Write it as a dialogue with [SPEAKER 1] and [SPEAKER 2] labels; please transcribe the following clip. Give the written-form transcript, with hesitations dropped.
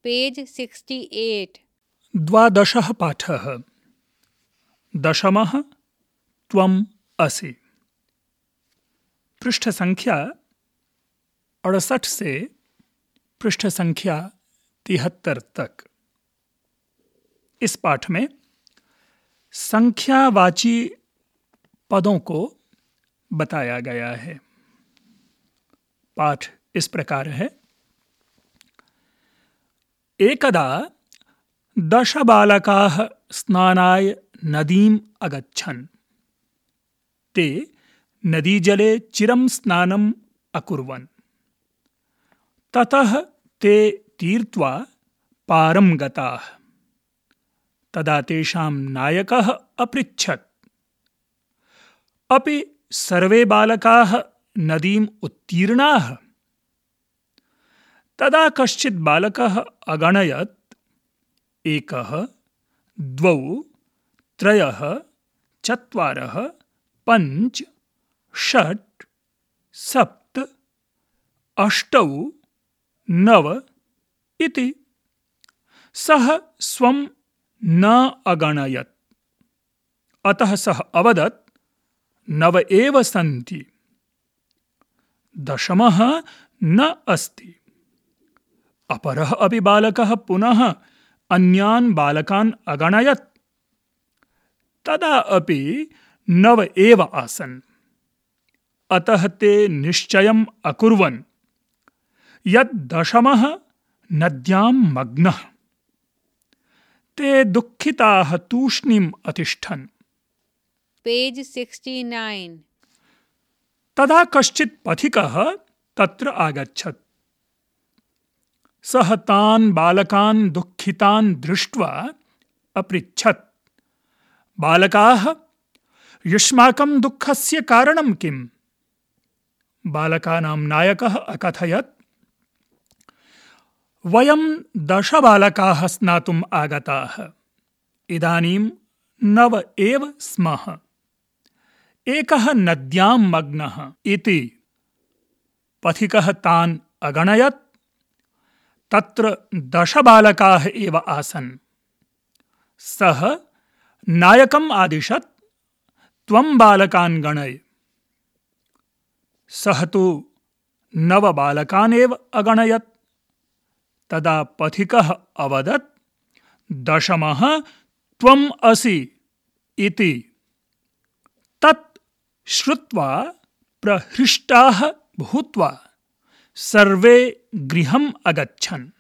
[SPEAKER 1] Page 68।
[SPEAKER 2] द्वादशः पाठः। दशमः त्वम् असि। पृष्ठ संख्या 68 से पृष्ठ संख्या 73 तक। इस पाठ में संख्यावाची पदों को बताया गया है। पाठ इस प्रकार है। एकदा 10 बालकाः स्नानाय नदीम् अगच्छन्। ते नदीजले चिरं स्नानम् अकुर्वन्। ततः ते तीर्त्वा पारं गताः। तदा तेषां नायकः अपृच्छत्, अपि सर्वे बालकाः नदीम् उत्तीर्णाः? तदा कश्चित् बालकः अगणयत्, 1, 2, 3, 4, 5, 6, 7, 8, 9 इति। सः स्वं न अगणयत्। अतः सः अवदत्, 9 एव सन्ति, 10मः न अस्ति। अपरः अपि बालकः पुनः अन्यान् बालकान् अगणयत्। तदा अपि 9 एव आसन्। अतः ते निश्चयम् अकुर्वन् यत् 10मः नद्यां मग्नः। ते दुःखिताः तूष्णीम् अतिष्ठन्।
[SPEAKER 1] पेज 69।
[SPEAKER 2] तदा कश्चित् पथिकः तत्र आगच्छत्। सः तान् बालकान् दुःखितान् दृष्ट्वा अपृच्छत्, बालकाः, युष्माकं दुःखस्य कारणं किम्? बालकानां नायकः अकथयत्, वयं 10 बालकाः स्नातुम् आगताः। इदानीं 9 एव स्मः। एकः नद्यां मग्नः इति। पथिकः तान् अगणयत्। तत्र 10 बालकाः एव आसन्। सः नायकम् आदिशत्, त्वं बालकान् गणय। सः तु 9 बालकान् एव अगणयत्। तदा पथिकः अवदत्, 10मः त्वम् असि इति। तत् श्रुत्वा प्रहृष्टाः भूत्वा सर्वे गृहम् अगच्छन्।